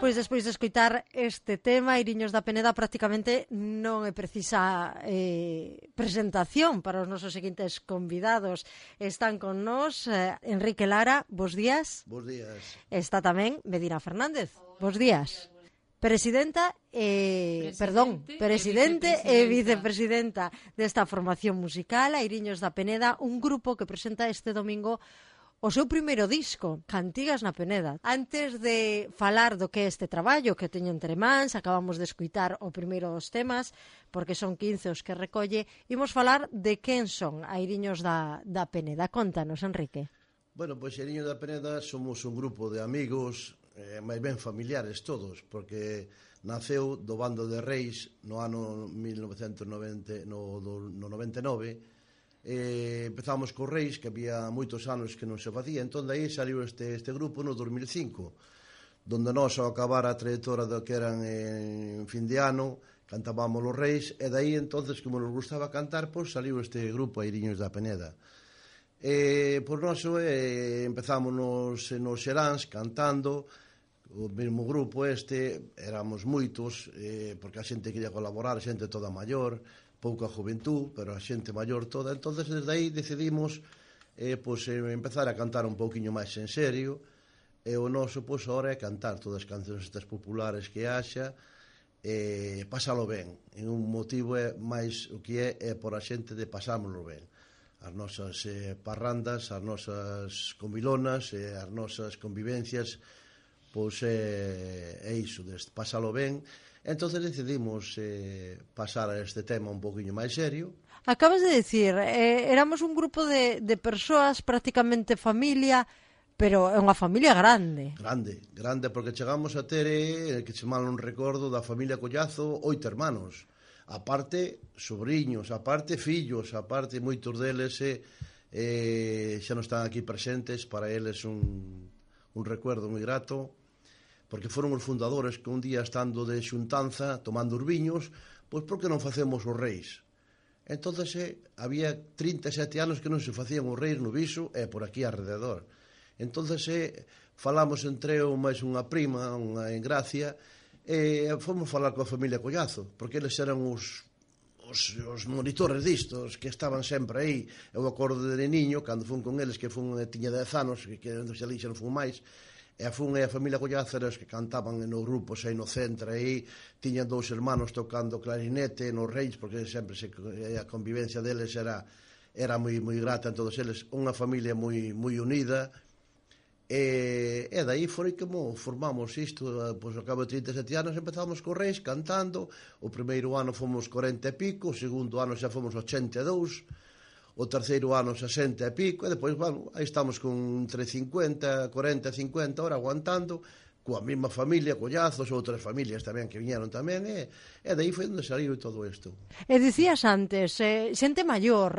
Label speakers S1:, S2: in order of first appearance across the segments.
S1: pois despois de escoitar este tema, Iriños da Peneda prácticamente non é precisa presentación para os nosos seguintes convidados. Están con nós Enrique Lara, bos días.
S2: Bos días.
S1: Está tamén Medina Fernández, bos días. Presidente e vicepresidenta desta formación musical, Iriños da Peneda, un grupo que presenta este domingo o seu primeiro disco, Cantigas na Peneda. Antes de falar do que é este traballo que teño entre mans, acabamos de escuitar o primeiro dos temas, porque son 15 os que recolle, imos falar de quen son a Iriños da Peneda. Contanos, Enrique.
S2: Bueno, pois Iriños da Peneda somos un grupo de amigos, máis ben familiares todos, porque naceu do bando de Reis no ano 1999, empezamos co Reis, que había moitos anos que non se facía, entón aí saliu este grupo no 2005, donde nós ao acabar a trayectoria do que eran en fin de ano, cantábamos os Reis, e daí entonces, como nos gustaba cantar, pois saliu este grupo a Iriños da Peneda. Por noso empezamos nos Xeráns cantando, o mesmo grupo éramos moitos, porque a xente quería colaborar, a xente toda maior, pouca juventud, pero a xente maior toda. Entonces desde aí decidimos empezar a cantar un pouquiño máis en serio, e o noso agora é cantar todas as cancións estas populares que haxa, pasalo ben. E un motivo é máis o que é por a xente de pasámoslo ben. As nosas parrandas, as nosas comilonas, as nosas convivencias, pois é iso, pasalo ben. Entonces decidimos pasar a este tema un poquinho máis serio.
S1: Acabas de decir, éramos un grupo de persoas, prácticamente familia, pero é unha familia grande.
S2: Grande, porque chegamos a ter, que se mal non recordo, da familia Collazo, 8 hermanos. Aparte, sobrinhos, aparte, fillos, aparte, moitos deles xa non están aquí presentes, para eles un recuerdo moi grato, porque foron os fundadores que un día estando de xuntanza, tomando os viños, pois por que non facemos os Reis? Entonces había 37 anos que non se facían os Reis no Viso e por aquí alrededor. Entonces falamos entre eu máis unha prima, unha en Gracia, e fomos falar coa familia Collazo, porque eles eran os monitores distos que estaban sempre aí. Eu acordo de niño, cando fun con eles, que tiña 10 anos, que non fun máis, e a familia Collazo eran os que cantaban nos grupos aí no centro, aí tiñan 2 hermanos tocando clarinete nos Reis, porque sempre a convivencia deles era moi grata en todos eles, unha familia moi unida, e dai foi como formamos isto. Pois ao cabo de 37 anos empezamos co Reis cantando. O primeiro ano fomos 40 e pico, o segundo ano xa fomos 82, o terceiro ano 60 e pico, e depois, bueno, aí estamos con entre 40 e 50 ahora aguantando, coa mesma familia, Collazos, outras familias tamén que viñeron tamén, e daí foi onde saliu todo isto.
S1: E dicías antes, xente maior,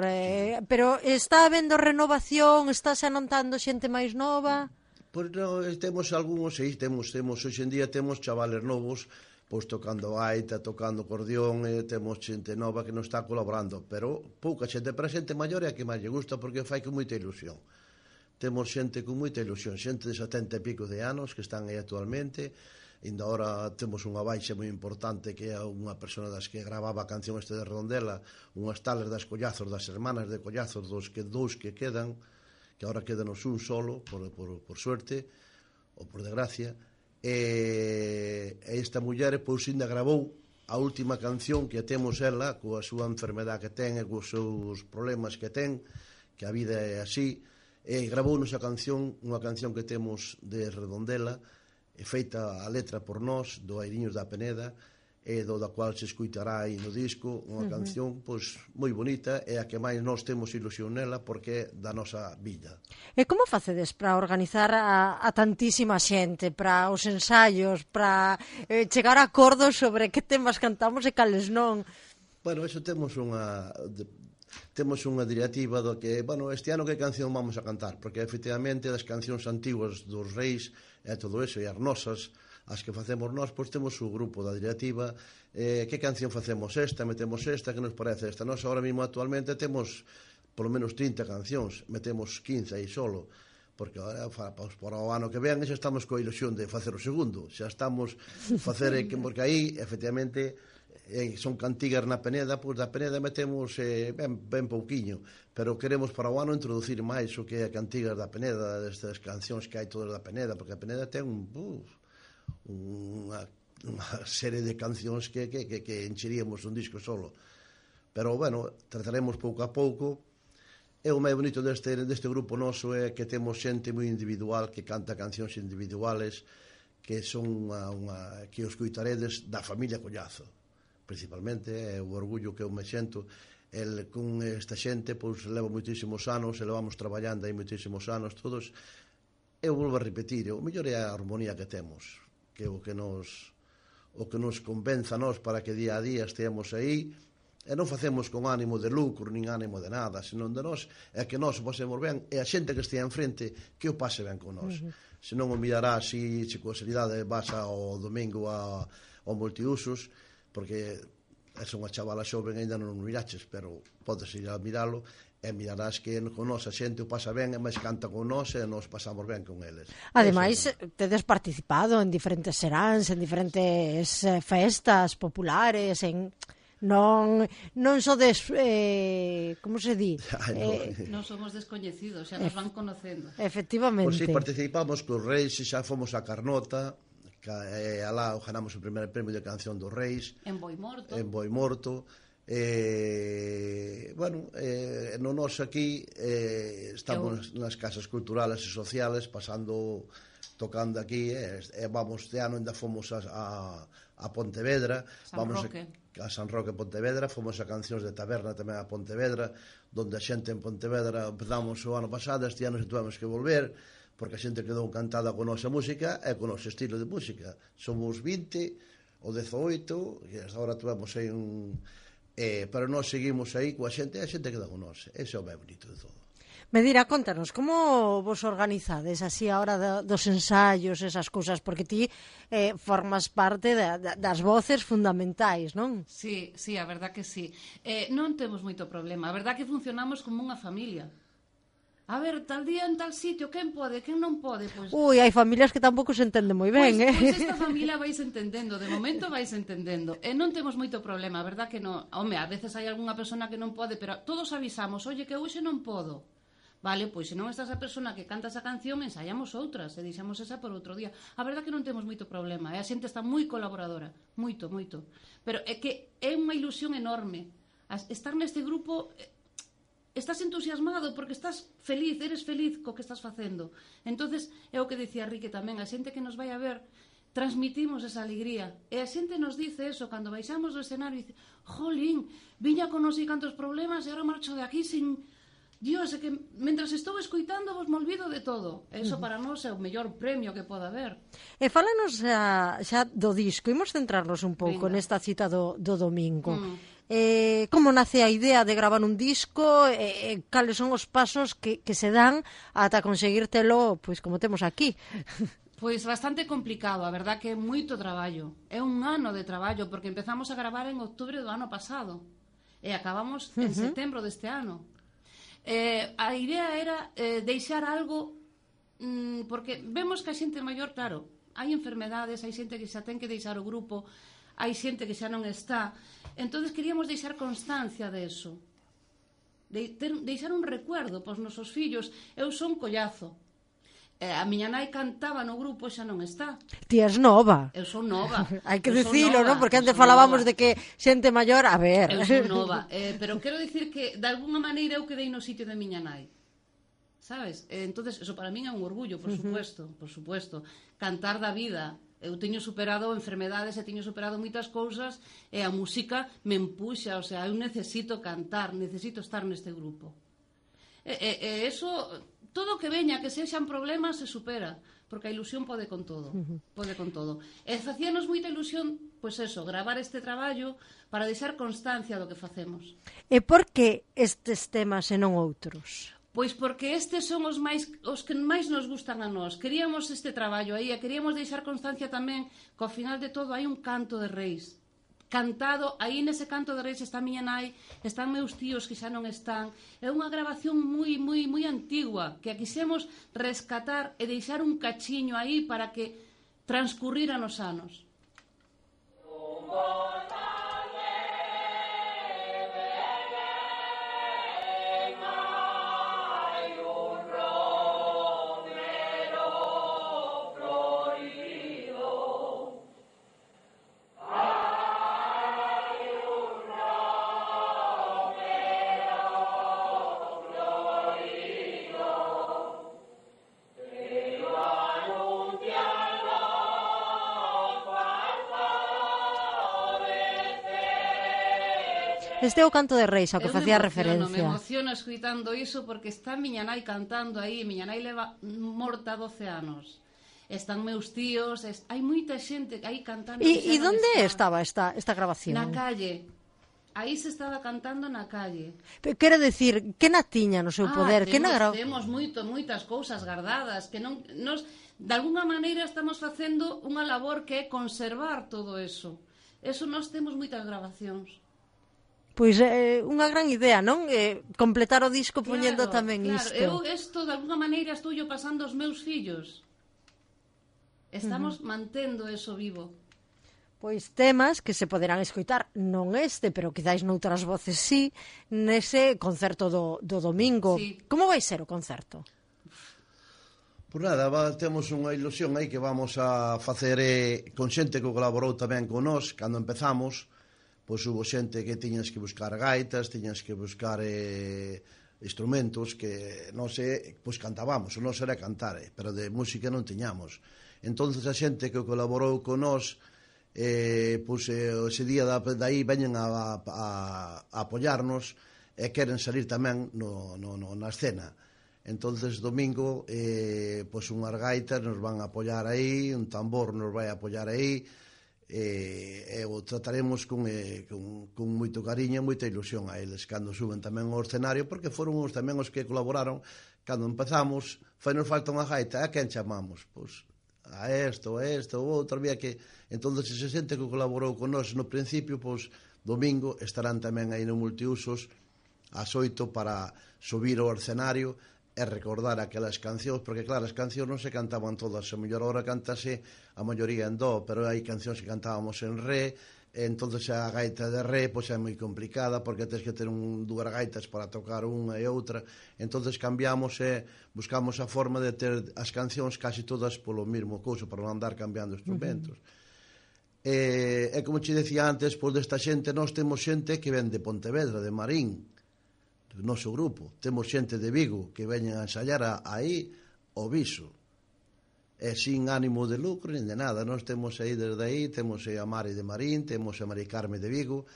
S1: pero está habendo renovación, estáse anotando xente máis nova?
S2: Pois non, temos algúns, temos hoxe en día temos chavales novos, pois tocando gaita, tocando acordeón, temos xente nova que non está colaborando, pero pouca xente, para xente maior é a que máis lle gusta, porque fai con moita ilusión. Temos xente con moita ilusión, xente de 70 e pico de anos que están aí actualmente. Ainda ahora temos unha baixa moi importante, que é unha persona das que gravaba a canción de Redondela, unhas tales das Collazos, das hermanas de Collazos, dous que quedan, que ahora quedanos un solo, por suerte, ou por desgracia. E esta muller pois ainda gravou a última canción que temos ela, coa súa enfermedade que ten e cos seus problemas que ten, que a vida é así, e gravounos a canción, unha canción que temos de Redondela, feita a letra por nós, do Iriños da Peneda, e do da cual se escuitará aí no disco, unha canción pois moi bonita, e a que máis nós temos ilusión nela, porque é da nosa vida.
S1: E como facedes para organizar a tantísima xente, para os ensaios, para chegar a acordos sobre que temas cantamos e cales non?
S2: Bueno, eso temos unha directiva do que, bueno, este ano que canción vamos a cantar, porque efectivamente das cancións antiguas dos Reis e todo eso, e as nosas, as que facemos nós, pois temos o grupo da directiva, que canción facemos esta, metemos esta, que nos parece esta. Nós ahora mesmo actualmente temos polo menos 30 cancións, metemos 15 aí solo, porque agora para o ano que ven xa estamos coa ilusión de facer o segundo, xa estamos facer, porque aí efectivamente son cantigas na Peneda, pois da Peneda metemos ben pouquiño, pero queremos para o ano introducir máis o que é cantigas da Peneda, destas cancións que hai todas da Peneda, porque a Peneda ten unha serie de cancións que encheríamos un disco solo. Pero, bueno, trataremos pouco a pouco. E o máis bonito deste grupo noso é que temos xente moi individual que canta cancións individuales que son que os coitaredes da familia Collazo. Principalmente é o orgullo que eu me xento con esta xente, pois leva moitísimos anos, e levamos traballando aí moitísimos anos todos. Eu volvo a repetir, o mellor é a armonía que temos, que é o que nos convenza a nós para que día a día esteamos aí. E non facemos con ánimo de lucro, nin ánimo de nada, senón de nós, é que nós o pasemos ben, e a xente que estea enfrente que o pase ben con nós. Se non o mirarás se con seriedade vas ao domingo ao multiusos, porque é unha chavala xoven, ainda non o miraches, pero podes ir a miralo, e mirarás que con nós a xente o pasa ben, e máis canta con nós, e nos pasamos ben con eles.
S1: Ademais, tedes participado en diferentes seráns, en diferentes festas populares, non sodes, como se di?
S3: Non somos descoñecidos, xa nos van conocendo.
S1: Efectivamente.
S2: Pois si, participamos cos Reis, xa fomos a Carnota, alá ganamos o primer premio de canción dos Reis.
S3: En Boimorto.
S2: Bueno, no nos aquí estamos nas casas culturales e sociales tocando aquí, vamos, este ano ainda fomos a Pontevedra, vamos a San Roque Pontevedra, fomos a cancións de taberna tamén a Pontevedra, donde a xente en Pontevedra empezamos o ano pasado, este ano tuvemos que volver, porque a xente quedou encantada con a nosa música e con o noso estilo de música. Somos 20 ou 18, e agora tuvemos aí pero nós seguimos aí coa xente, e a xente queda con nós. Ese é o máis bonito de todo.
S1: Medira, contanos, como vos organizades así a hora dos ensaios, esas cousas, porque ti formas parte das voces fundamentais, non?
S3: Sí, a verdad que sí. Non temos moito problema, a verdad que funcionamos como unha familia. A ver, tal día en tal sitio, quen pode, quen non pode? Pois...
S1: hai familias que tampouco se entenden moi ben,
S3: Pois esta familia vais entendendo, de momento vais entendendo. E non temos moito problema, a verdad que non. Home, a veces hai algunha persona que non pode, pero todos avisamos, oye, que hoxe non podo. Vale, pois se non está esa persona que canta esa canción, ensaiamos outras, e deixamos esa por outro día. A verdad que non temos moito problema, e a xente está moi colaboradora, moito. Pero é que é unha ilusión enorme. Estar neste grupo, estás entusiasmado porque estás feliz, eres feliz co que estás facendo. Entonces, é o que dicía Rique tamén, a xente que nos vai a ver, transmitimos esa alegría. E a xente nos dice eso, cando baixamos do escenario, dice, jolín, viña con non sei cantos problemas e agora marcho de aquí sin... Dios, é que mentras estou escoitando vos me olvido de todo. Eso para nós é o mellor premio que pode haber.
S1: E fálanos xa do disco. Imos centrarnos un pouco nesta cita do domingo. Como nace a idea de gravar un disco? Cales son os pasos que se dan ata conseguírtelo, pois como temos aquí?
S3: Pois bastante complicado, a verdad que é moito traballo. É un ano de traballo, porque empezamos a gravar en outubro do ano pasado e acabamos en setembro deste ano. A idea era deixar algo, porque vemos que a xente maior, claro, hai enfermedades, hai xente que xa ten que deixar o grupo, hai xente que xa non está, entonces queríamos deixar constancia de eso, deixar un recuerdo para os nosos fillos. Eu son Collazo, a miña nai cantaba no grupo, xa non está.
S1: Ti és nova.
S3: Eu son nova.
S1: Hai que dicilo, non? Porque antes falábamos de que xente maior, a ver.
S3: Eu son nova, pero quero dicir que de alguna maneira eu quedei no sitio de miña nai. Sabes? Entonces, eso para min é un orgullo, por supuesto. Cantar da vida. Eu teño superado enfermedades e teño superado moitas cousas e a música me empuxa, o sea, eu necesito cantar, necesito estar neste grupo. E eso... Todo o que veña, que sexan problemas, se supera, porque a ilusión pode con todo, E facíanos moita ilusión, pois eso, gravar este traballo para deixar constancia do que facemos.
S1: E por que estes temas e non outros?
S3: Pois porque estes son os que máis nos gustan a nós. Queríamos este traballo aí, e queríamos deixar constancia tamén que ao final de todo hai un canto de reis. cantado, aí nese canto de reis está miña nai, están meus tíos que xa non están. É unha grabación moi antigua que a quixemos rescatar e deixar un cachiño aí para que transcurriran os anos.
S1: Este é o canto de reis ao que facía referencia.
S3: Me emociono escuitando iso porque está miña nai cantando aí, miña nai leva morta 12 anos. Están meus tíos, hai moita xente aí cantando.
S1: E onde estaba esta grabación?
S3: Na calle. Aí se estaba cantando na calle.
S1: Quero decir, que na tiña no seu poder?
S3: Temos moitas cousas guardadas que non nos de alguna maneira estamos facendo unha labor que é conservar todo eso. Eso nós temos moitas grabacións.
S1: Pois unha gran idea, non? Completar o disco poñendo tamén isto.
S3: Eu isto, de alguna maneira, estou pasando aos meus fillos. Estamos mantendo eso vivo.
S1: Pois temas que se poderán escoitar, non este, pero quizáis noutras voces sí, nese concerto do domingo.
S3: Sí.
S1: Como vai ser o concerto?
S2: Por nada, temos unha ilusión aí que vamos a facer con xente que colaborou tamén con nós cando empezamos. Pois hubo xente que tiñas que buscar gaitas, tiñas que buscar instrumentos que nós pois cantábamos, o noso era cantar, pero de música non tiñamos. Entonces a xente que colaborou con nós, pois ese día dai veñen a apoiarnos e queren salir tamén na escena. Entonces domingo, pois unhas gaitas nos van a apoiar aí, un tambor nos vai a apoiar aí, e o trataremos con moito cariño e moita ilusión a eles cando suben tamén ao escenario, porque foron os tamén os que colaboraron cando empezamos. Nos falta unha gaita, a quen chamamos? Pois a isto, o outro, había que... Entón, se xente que colaborou con nós no principio, pois domingo estarán tamén aí no Multiusos ás 8 para subir ao escenario e recordar aquelas cancións, porque claro, as cancións non se cantaban todas, a mellor hora cántase a maioría en do, pero hai cancións que cantábamos en re, e entonces a gaita de re pois é moi complicada, porque tens que ter dúas gaitas para tocar unha e outra, entonces cambiamos e buscamos a forma de ter as cancións casi todas polo mesmo couso, para non andar cambiando instrumentos. E como te decía antes, pois desta xente, nós temos xente que ven de Pontevedra, de Marín, do noso grupo. Temos xente de Vigo que veñen a ensayar aí o Viso. E sin ánimo de lucro nin de nada. Nós temos aí desde aí, temos a Mari de Marín, temos a Mari Carme de Vigo,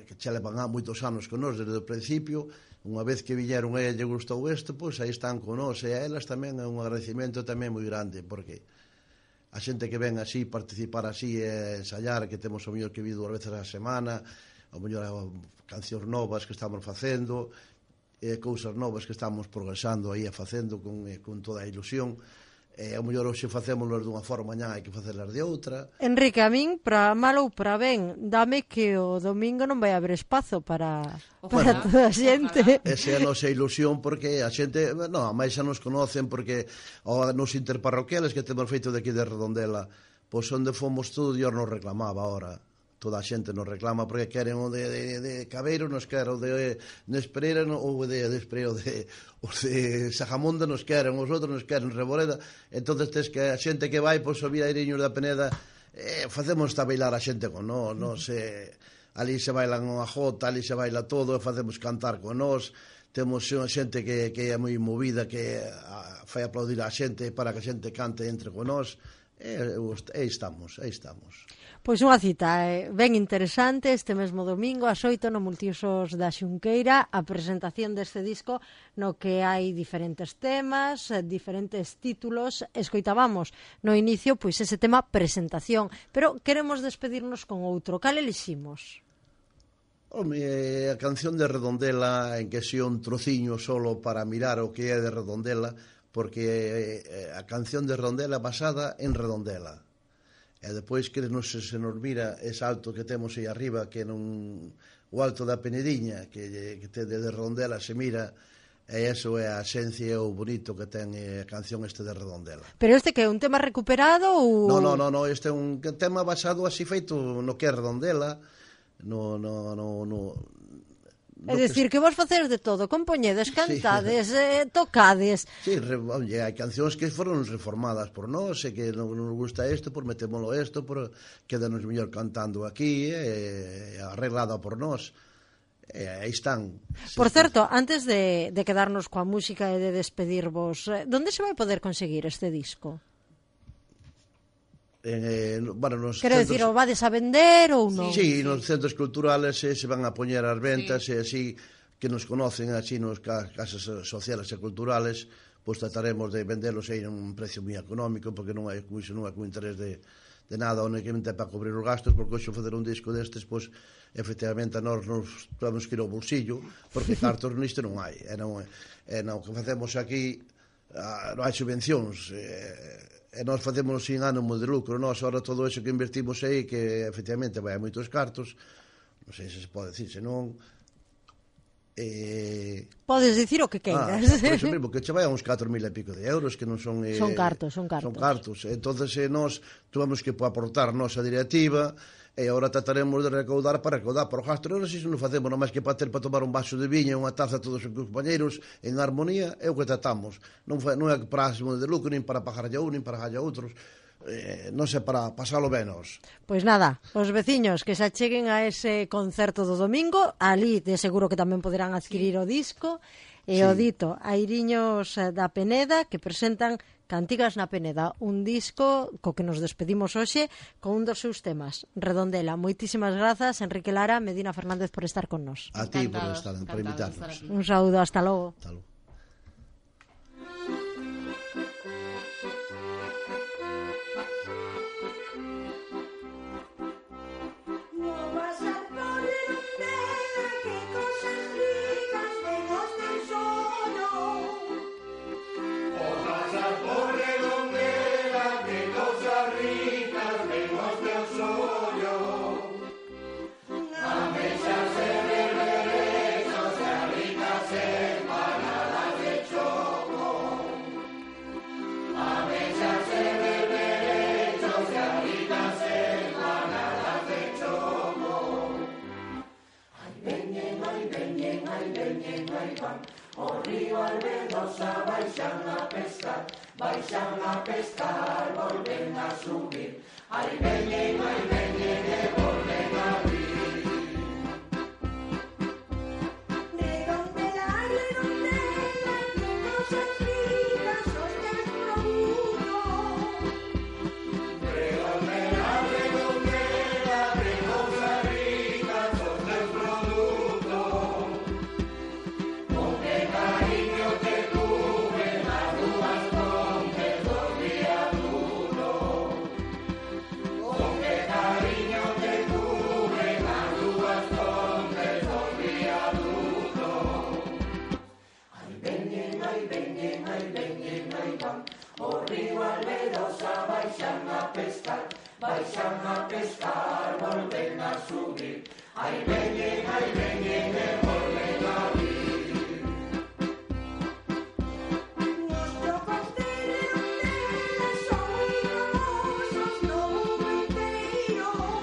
S2: que xa levan moitos anos con nós desde o principio. Unha vez que viñeron e lle gustou isto, pois aí están con nós, e a elas tamén é un agradecimento tamén moi grande, porque a xente que ven así, participar así e ensayar, que temos o mellor que vi 2 veces a semana, o mellor cancións novas que estamos facendo, cousas novas que estamos progresando aí a facendo con toda a ilusión. O mellor hoxe facémoslas dunha forma, mañá hai que facelas de outra.
S1: Enrique, a min, para mal ou para ben, dame que o domingo non vai haber espazo para toda a xente.
S2: Esa é a nosa ilusión, porque a xente, a máis xa nos conocen, porque nos interparroquiales que temos feito de aquí de Redondela, pois onde fomos todo Dios nos reclamaba ahora. Toda a xente nos reclama porque queren o de Cabeiro, nos queren o de Nespereira ou de Espreiro, os de Sajamonda nos queren, os outros nos queren Reboreda. Entón, tes que a xente que vai, pois, subir a Iriños da Peneda, facemos esta bailar a xente con nós, ali se bailan unha jota, ali se baila todo, e facemos cantar con nós. Temos xente que é moi movida, que fai aplaudir a xente para que a xente cante entre con nós. Aí estamos.
S1: Pois unha cita ben interesante este mesmo domingo ás 8 no Multiusos da Xunqueira, a presentación deste disco no que hai diferentes temas, diferentes títulos. Escoitábamos no inicio pois ese tema presentación, pero queremos despedirnos con outro. Cal eliximos?
S2: A canción de Redondela, en que xe un trociño solo para mirar o que é de Redondela, porque a canción de Redondela basada en Redondela. E depois que se nos mira ese alto que temos aí arriba, que non o alto da Penediña, que te de Redondela se mira, e iso é a esencia e o bonito que ten a canción de Redondela.
S1: Pero este que é un tema recuperado ou...
S2: No, este é un tema basado así feito no que é Redondela,
S1: É dicir, que vos facedes de todo, compoñedes, cantades, tocades.
S2: Sí, hai cancións que foron reformadas por nós, e que non nos gusta isto, por metémolo isto, por quedanos mellor cantando aquí, arreglada por nós. Aí están.
S1: Por certo, antes de quedarnos coa música e de despedirvos, onde se vai poder conseguir este disco? Quero dicir, o vades a vender ou non?
S2: Sí, nos centros culturales se van a poñer as ventas, e así que nos conocen así nos casas sociales e culturales, pois trataremos de venderlos aí a un precio moi económico, porque non hai con interés de nada, únicamente para cobrir os gastos, porque hoxe facer un disco destes, pois efectivamente a nós nos temos que ir ao bolsillo, porque cartos nisto non hai, e non que facemos aquí non hai subvencións, e nós facemos sin ánimo de lucro, nós ahora todo eso que invertimos aí, que efectivamente vai a moitos cartos, non sei se pode dicir, senón
S1: podes dicir o que queiras.
S2: Por iso mesmo, que che vai a uns 4.000 e pico de euros, que non son...
S1: Son cartos.
S2: Entonces nós tuvemos que aportar nosa directiva, e agora trataremos de recaudar por gastos. Non sei se non facemos nada máis que para tomar un vaso de viña, unha taza todos os compañeros en armonía, é o que tratamos. Non é para ánimo de lucro, nin para pagar a un, nin para pagar a outros, non sei, para pasalo benos.
S1: Pois nada, os veciños que se acheguen a ese concerto do domingo, ali de seguro que tamén poderán adquirir o disco, e o dito, Airiños da Peneda, que presentan Cantigas na Peneda, un disco co que nos despedimos hoxe con un dos seus temas, Redondela. Moitísimas grazas, Enrique Lara, Medina Fernández, por estar con nos.
S2: A ti por invitarnos.
S1: Un saúdo, hasta logo.
S2: Hasta logo.
S4: O río Albedosa baixan a pescar, volven a subir. Ai veñen e volven a vir. Redondela, que cosas ricas os teus produtos. Redondela, que cosas ricas os teus produtos. Con que cariño te cubren as dúas pontes dos viadutos. Con que cariño te cubren as dúas pontes dos viadutos. Ai veñen, ai van. O río Albedosa baixan a pescar, volven a subir. Ai veñen e volven a vir. Os trocos de Redondela son moi famosos no mundo inteiro.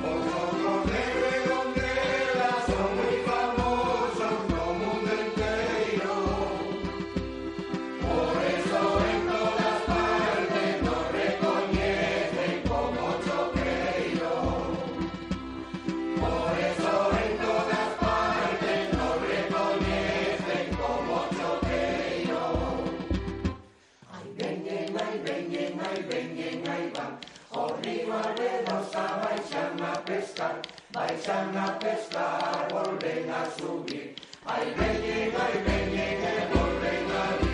S4: Os trocos de Redondela son moi famosos no mundo inteiro. Por eso en todas partes nos recoñecen como choqueiro. Por eso en todas partes nos recoñecen como choqueiro. Ai veñen, ai van. O río Albedosa baixan a pescar, volven a subir. Ai veñen e volven a vir.